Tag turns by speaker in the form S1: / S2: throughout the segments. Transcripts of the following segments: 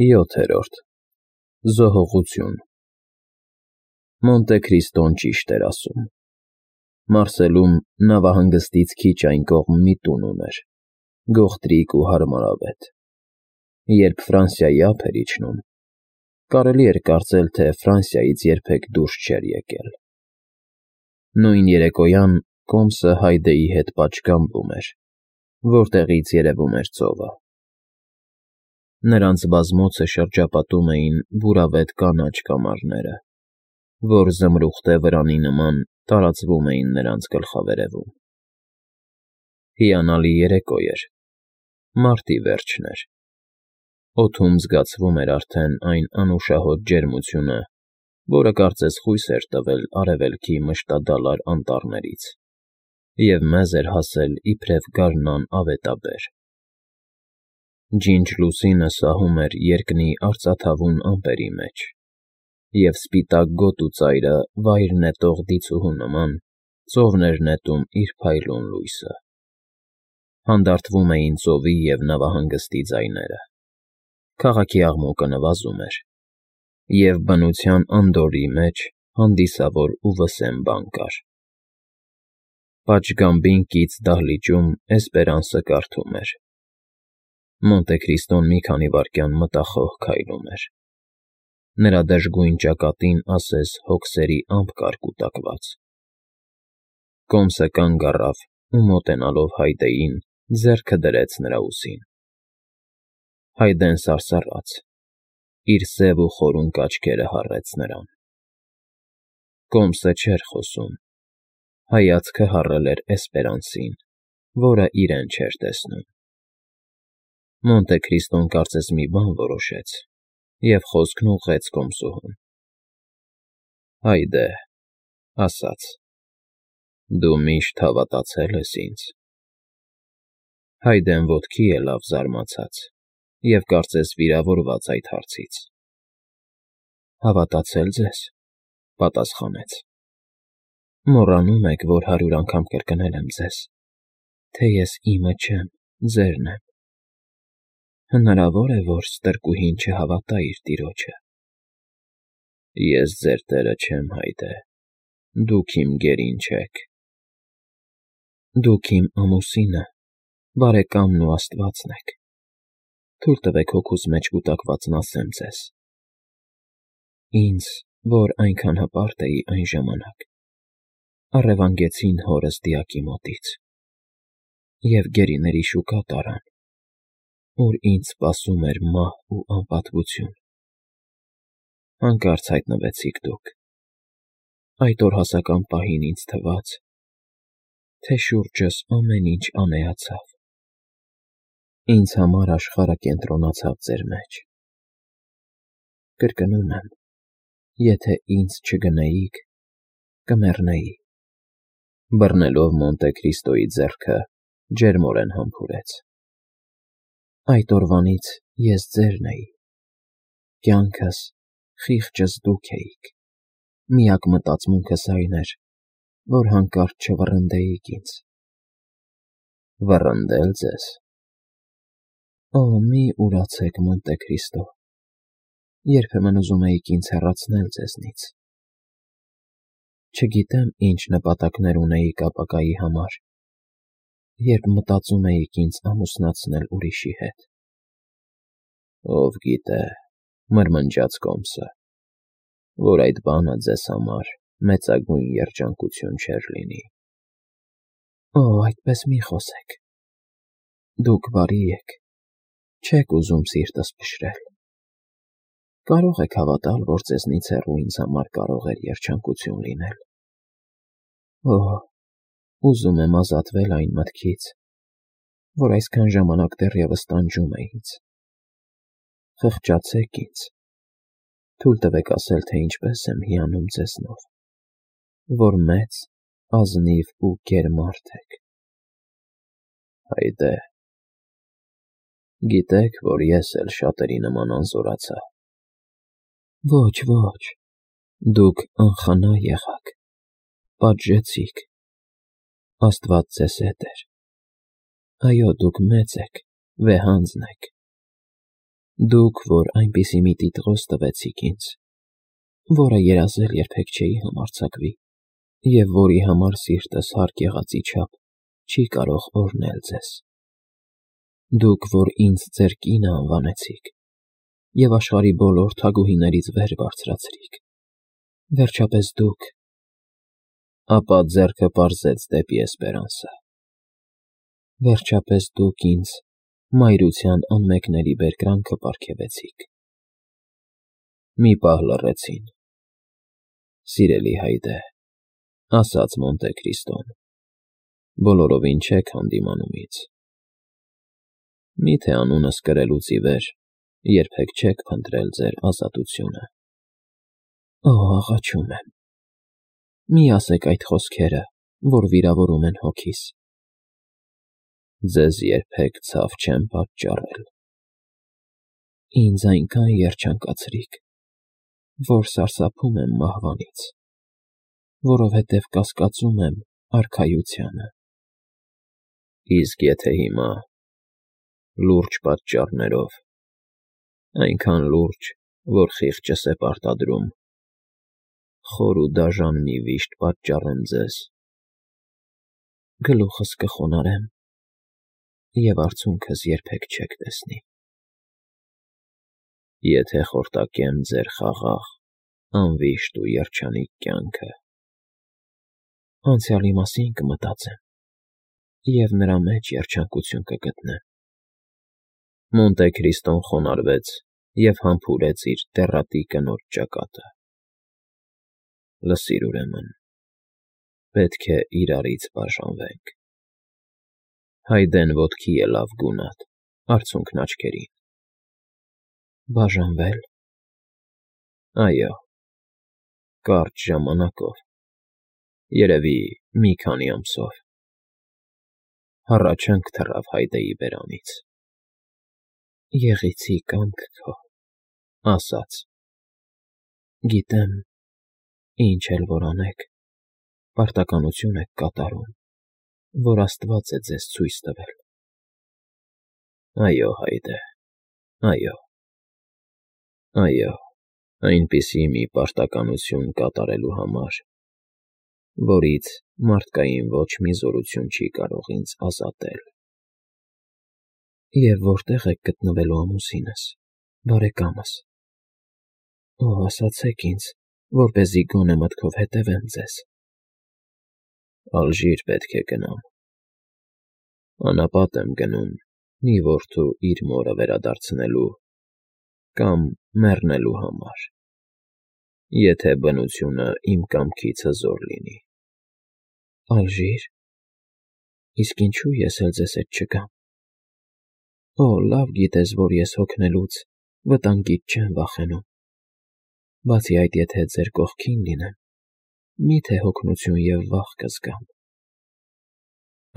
S1: 7. Զոհողություն Մոնտե Քրիստոն ճիշտ էր ասում. Մարսելում նավահանգստից քիչ այն կողմ մի տուն ուներ, գողտրիկ ու հարմարավետ։ Երբ Ֆրանսիայի ափ էր իջնում, կարելի էր կարծել, թե Ֆրանսիայից երբեք դուրս չէր եկել։ Նույն երեկոյան կոմսը Հայդեի հետ պատշգամբում էր, որտեղից երևում էր ծովը։ Նրանց բազմոցը շրջապատում էին բուրավետ կանաչ կամարները, որ զմրուխտե վրանի նման տարածվում էին նրանց գլխավերևում։ Հիանալի երեկո էր, մարտի վերջն էր։ Օդում զգացվում էր արդեն այն անուշահոտ ջերմությունը, որը կարծես խույս էր տվել արևելքի մշտադալար անտառներից և մեզ էր հասել իբրև գարնան ավետաբեր։ Ջինջ լուսինը սահում էր երկնի արծաթավուն ամպերի մեջ, և սպիտակ գոտու ծայրը վայր նետող դիցուհու նման ծովն էր նետում իր փայլուն լույսը։ Հանդարտվում էին ծովի և նավահանգստի ձայները, քաղաքի աղմուկը նվազում էր, և բնության անդորրի մեջ հանդիսավոր ու վսեմ բան կար։ Պատշգամբին կից դահլիճում Էսպերանսը կարդում էր։ Մոնտե Քրիստոն մի քանի վայրկյան մտախոհ քայլում էր։ Նրա դժգույն ճակատին ասես հոգսերի ամպ կար կուտակված։ Կոմսը կանգ առավ ու մոտենալով Հայդեին ձեռքը դրեց նրա ուսին։ Հայդեն սարսռաց, իր սև ու խորունկ աչքերը հառեց նրան։ Կոմսը չէր խոսում, հայացքը հառել էր Էսպերանսին, որը իրեն չէր տեսնում։ Մոնտե Քրիստոն կարծես մի բան որոշեց և խոսքն ուղղեց կոմսուհուն։ Հայդե, ասաց. դու միշտ հավատացել ես ինձ։ Հայդեն ոտքի ելավ զարմացած և կարծես վիրավորված այդ հարցից։ Հավատացե՞լ ձեզ, պատասխանեց։ Մոռանում եք, որ 100 անգամ կրկնել եմ ձեզ, թե ես իմը չեմ, ձերն եմ։ Հնարավոր է, որ ստրկուհին չհավատա իր տիրոջը։ Ես ձեր տերը չեմ, Հայդե, դուք իմ գերին չեք։ Դուք իմ ամուսինը, բարեկամն ու Աստվածն եք։ Թույլ տվեք հոգուս մեջ կուտակվածն ասեմ ձեզ։ Ինձ, որ այնքան հպարտ էի այն ժամանակ, առևանգեցին հորս դիակի մոտից և գերիների շուկա տարան, ուր ինձ սպասում էր մահ ու անպատվություն։ Հանկարծ հայտնվեցիք դուք։ Այդ օրհասական պահին ինձ թվաց, թե շուրջս ամեն ինչ ամեացավ։ Ինձ համար աշխարհը կենտրոնացավ ձեր մեջ։ Կրկնում եմ, եթե ինձ չգնեիք, կմեռնեի։ Բռնելով Մոնտե Քրիստոյի ձեռքը ջերմորեն համբուրեց։ Այդ օրվանից ես ձերն էի։ Կյանքս, խիղճս դուք էիք։ Միակ մտածմունքս այն էր, որ հանկարծ չվռնդեիք ինձ։ Վռնդել ձեզ։ Օ, մի ուրացեք, Մոնտե Քրիստո, երբեմն ուզում էիք ինձ հեռացնել ձեզնից։ Չգիտեմ ինչ նպատակներ ունեիք ապագայի համար, երբ մտածում էիք ինձ ամուսնացնել ուրիշի հետ։ Ով գիտե, մրմնջաց կոմսը, որ այդ բանը ձեզ համար մեծագույն երջանկություն չէր լինի։ Օ, այդպես մի խոսեք։ Դուք բարի եք, չեք ուզում սիրտս փշրել։ Կարող եք հավատալ, որ ձեզնից հեռու ինձ համար կարող էր երջանկություն լինել։ Օ, ուզում եմ ազատվել այն մտքից, որ այսքան ժամանակ դեռևս տանջում է ինձ։ Խղճացեք ինձ, թույլ տվեք ասել, թե ինչպես եմ հիանում ձեզնով, որ մեծ, ազնիվ ու գեր մարդ եք։ Հայդե, գիտեք, որ ես էլ շատերի նման անզորացա։ Ոչ, ոչ, դուք անխնա եղաք, պատժեցիք, Աստված ձեզ հետ էր։ Այո, դուք մեծ եք, վեհանձն եք։ Դուք, որ այնպիսի մի տիտղոս տվեցիք ինձ, որը երազել երբեք չէի համարձակվի, և որի համար սիրտս հարկ եղածի չափ չի կարող օրհնել ձեզ։ Դուք, որ ինձ ձեր կինը անվանեցիք և աշխարհի բոլոր թագուհիներից վեր բարձրացրիք, վերջապես դուք… Ապա ձեռքը պարզեց դեպի Էսպերանսը. Վերջապես դուք ինձ մայրության անմեկնելի բերկրանքը պարգևեցիք։ Մի պահ լռեցին։ Սիրելի հայրե, ասաց Մոնտե Քրիստոն, բոլորովին չեք հանդիմանում ինձ։ Միթե անունս կրելուց ի վեր երբեք չեք փնտրել ձեր ազատությունը։ Օ, աղաչում եմ, մի ասեք այդ խոսքերը, որ վիրավորում են հոգիս։ Ձեզ երբեք ցավ չեմ պատճառել։ Ինձ այնքան երջանկացրիք, որ սարսափում եմ մահվանից, որովհետև կասկածում եմ արքայությանը։ Իսկ եթե հիմա, լուրջ պատճառներով, այնքան լուրջ, որ խիղճս է պարտադրում, խոր ու դաժան մի վիշտ պատճառեմ ձեզ, գլուխս կխոնարհեմ և արցունքս երբեք չեք տեսնի։ Եթե խորտակեմ ձեր խաղաղ, անվիշտ ու երջանիկ կյանքը, անցյալի մասին կմտածեմ և նրա մեջ երջանկություն կգտնեմ։ Մոնտե Քրիստոն խոնարհվեց և համբուրեց իր տեռատի կնոջ ճակատը։ Լսիր ուրեմն, պետք է իրարից բաժանվենք։ Հայդեն ոտքի ելավ գունատ, արցունքն աչքերին։ Բաժանվե՞լ։ Այո, կարճ ժամանակով, երևի մի քանի ամսով։ Հառաչանք թռավ Հայդեի բերանից։ Եղեցի կամք քո, ասաց. Գիտեմ, ինչ էլ որ անեք, պարտականություն եք կատարում, որ Աստված է ձեզ ցույց տվել։ Այո, Հայդե, այո, այնպիսի մի պարտականություն կատարելու համար, որից մարդկային ոչ մի զորություն չի կարող ինձ ազատել։ Եվ որտե՞ղ եք գտնվելու ամուսինս, բարեկամս։ Օ, ասացեք ինձ, որպեսզի գոնե մտքով հետևեմ ձեզ։ Ալժիր պետք է գնամ։ Անապատ եմ գնում մի որդու իր մորը վերադարձնելու կամ մեռնելու համար, եթե բնությունը իմ կամքից հզոր լինի։ Ալժիր։ Իսկ ինչու ես էլ ձեզ հետ չգամ։ Օ, լավ գիտես, որ ես հոգնելուց, վտանգից չեմ վախենում։ Բացի այդ, եթե ձեր կողքին լինեմ, մի՞թե հոգնություն և վախ կզգամ։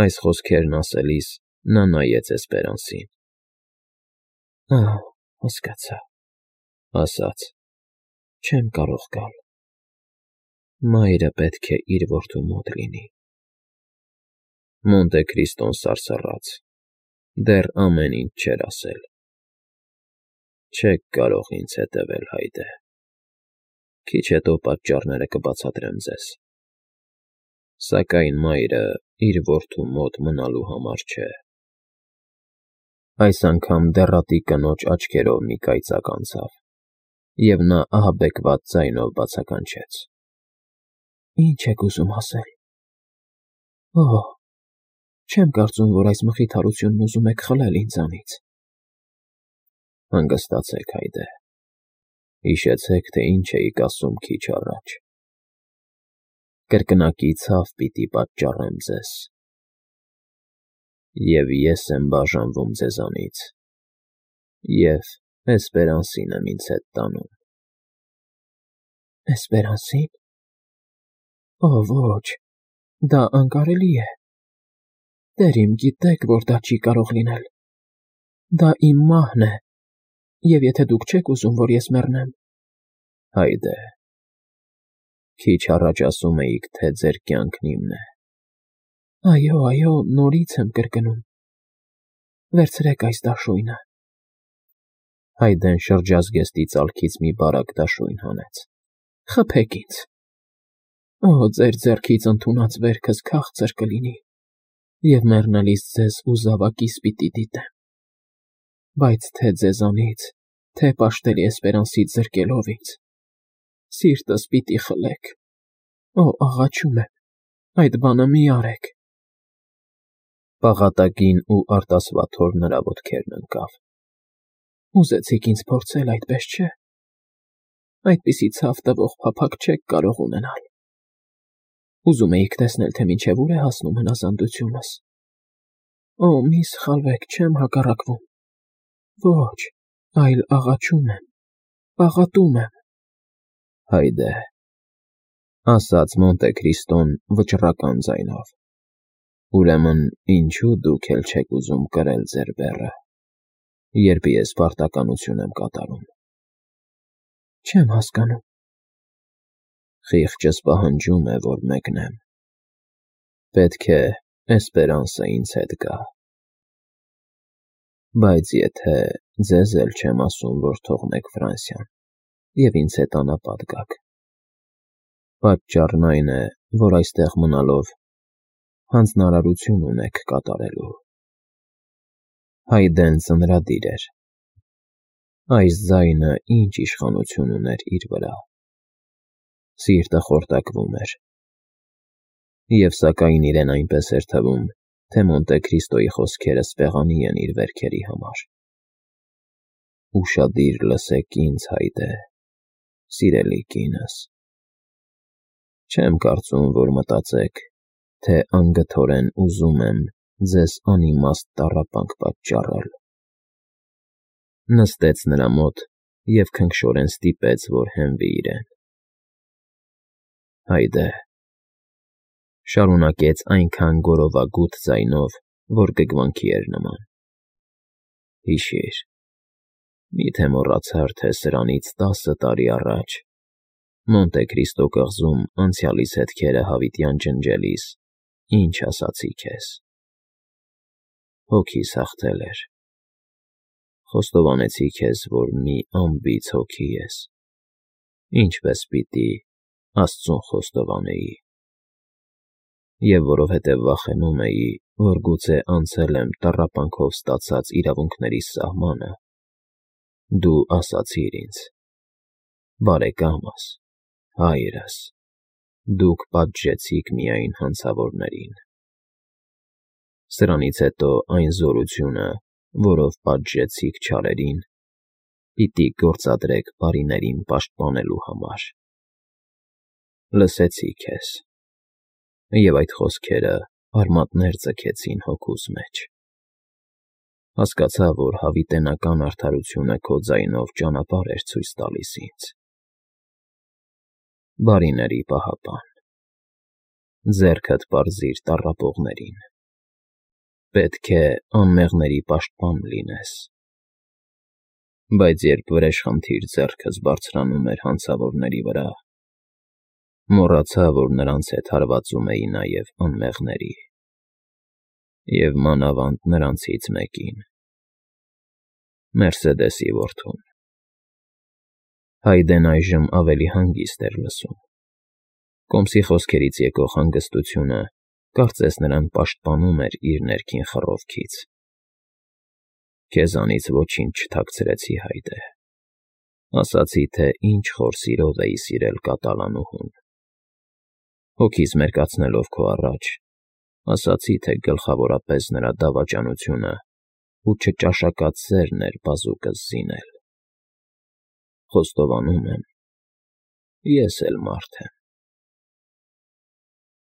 S1: Այս խոսքերն ասելիս նա նայեց Էսպերանսին։ Ահա, հասկացա, ասաց. չեմ կարող գալ։ Մայրը պետք է իր որդու մոտ լինի։ Մոնտե Քրիստոն սարսռաց, դեռ ամեն ինչ չէր ասել։ Չեք կարող ինձ հետևել, Հայդե։ Քիչ հետո պատճառները կբացատրեմ ձեզ։ Սակայն մայրը իր որդու մոտ մնալու համար չէ։ Այս անգամ դեռատի կնոջ աչքերով մի կայծակ անցավ, և նա ահաբեկված ձայնով բացականչեց. Ինչ եք ուզում ասել։ Օ, չեմ կարծում, որ այս մխիթարությունն ուզում եք խլել ինձանից։ Հանգստացեք, Հայդե, հիշեցեք, թե ինչ էիք ասում քիչ առաջ։ Կրկնակի ցավ պիտի պատճառեմ ձեզ։ Եվ ես եմ բաժանվում ձեզանից, և Էսպերանսին եմ ինձ հետ տանում։ Էսպերանսի՞ն։ Օ, ոչ, դա անկարելի է։ Տեր իմ, գիտեք, որ դա չի կարող լինել։ Դա իմ մահն է, և եթե դուք չեք ուզում, որ ես մեռնեմ… Հայդե, քիչ առաջ ասում էիք, թե ձեր կյանքն իմն է։ Այո, նորից եմ կրկնում։ Վերցրեք այս դաշույնը։ Հայդեն շրջազգեստի ծալքից մի բարակ դաշույն հանեց։ Խփեք ինձ։ Օ, ձեր ձեռքից ընդունած վերքս քաղցր կլինի, և մեռնելիս ձեզ ու զավակիս պիտի դիտեմ։ Բայց թե ձեզանից, թե պաշտելի Էսպերանսից զրկելով ինձ, սիրտս պիտի խլեք։ Օ, աղաչում եմ, այդ բանը մի արեք։ Պաղատակին ու արտասվատ հոր նրա ոտքերն ընկավ։ Ուզեցիք ինձ փորձել, այդպես չէ։ Այդպիսի ցավ տվող փափագ չեք կարող ունենալ։ Ուզում էիք տեսնել, թե մինչև ուր է հասնում հնազանդությունս։ Օ, մի սխալվեք, չեմ հակառակվում։ Ոչ, այլ աղաչում եմ, պաղատում եմ։ Հայդե, ասաց Մոնտե Քրիստոն վճռական ձայնով։ Ուրեմն ինչու դուք էլ չեք ուզում կրել ձեր բեռը, երբ ես պարտականություն եմ կատարում։ Չեմ հասկանում։ Խիղճս պահանջում է, որ մեկնեմ։ Պետք է Էսպերանսը ինձ հետ գա։ Բայց եթե ձեզ էլ չեմ ասում, որ թողնեք Ֆրանսիան և ինձ հետ անապատ գաք, պատճառն այն է, որ այստեղ մնալով հանձնարարություն ունեք կատարելու։ Հայդեն ծնրադիր էր։ Այս ձայնը ինչ իշխանություն ուներ իր վրա։ Սիրտը խորտակվում էր։ Եվ սակայն իրեն այնպես էր թվում, թե Մոնտե Քրիստոյի խոսքերը սպեղանի են իր վերքերի համար։ Ուշադիր լսեք ինձ, Հայդե, սիրելի կինս։ Չեմ կարծում, որ մտածեք, թե անգթորեն ուզում եմ ձեզ անիմաստ տառապանք պատճառել։ Նստեց նրա մոտ և քնքշորեն ստիպեց, որ հենվի իրեն։ Հայդե, շարունակեց այնքան գորովագութ ձայնով, որ գգվանքի էր նման։ Հիշիր, միթե մոռացար, թե սրանից 10 տարի առաջ Մոնտե Քրիստո կղզում անցյալիս հետքերը հավիտյան ջնջելիս ինչ ասացի քեզ։ Հոգիս հաղթել էր։ Խոստովանեցի քեզ, որ մի անբիծ հոգի ես, ինչպես պիտի Աստծուն խոստովանեի։ Եվ որովհետև վախենում էի, որ գուցե անցել եմ տառապանքով ստացած իրավունքներիս սահմանը, դու ասացիր ինձ. բարեկամս, հայրս, դուք պատժեցիք միայն հանցավորներին։ Սրանից հետո այն զորությունը, որով պատժեցիք չարերին, պիտի գործադրեք բարիներին պաշտպանելու համար։ Լսեցի քեզ, և այդ խոսքերը արմատներ ձգեցին հոգուս մեջ։ Հասկացա, որ հավիտենական արդարությունը քո ձայնով ճանապարհ էր ցույց տալիս ինձ։ Բարիների պահապան, ձեռքդ պարզիր տառապողներին։ Պետք է անմեղների պաշտպան լինես։ Բայց երբ վրեժխնդիր ձեռքս բարձրանում էր հանցավորների վրա, մոռացա, որ նրանց հետ հարվածում էի նաև անմեղների, և մանավանդ նրանցից մեկին՝ Մերսեդեսի որդուն։ Հայդեն այժմ ավելի հանգիստ էր լսում։ Կոմսի խոսքերից եկող հանգստությունը կարծես նրան պաշտպանում էր իր ներքին խռովքից։ Քեզանից ոչինչ չթաքցրեցի, Հայդե։ Ասացի, թե ինչ խոր սիրով էի սիրել կատալանուհուն։ Հոգիս մերկացնելով քո առաջ, ասացի, թե գլխավորապես նրա դավաճանությունն ու չճաշակած սերն էր բազուկս զինել։ Խոստովանում եմ, ես էլ մարդ եմ։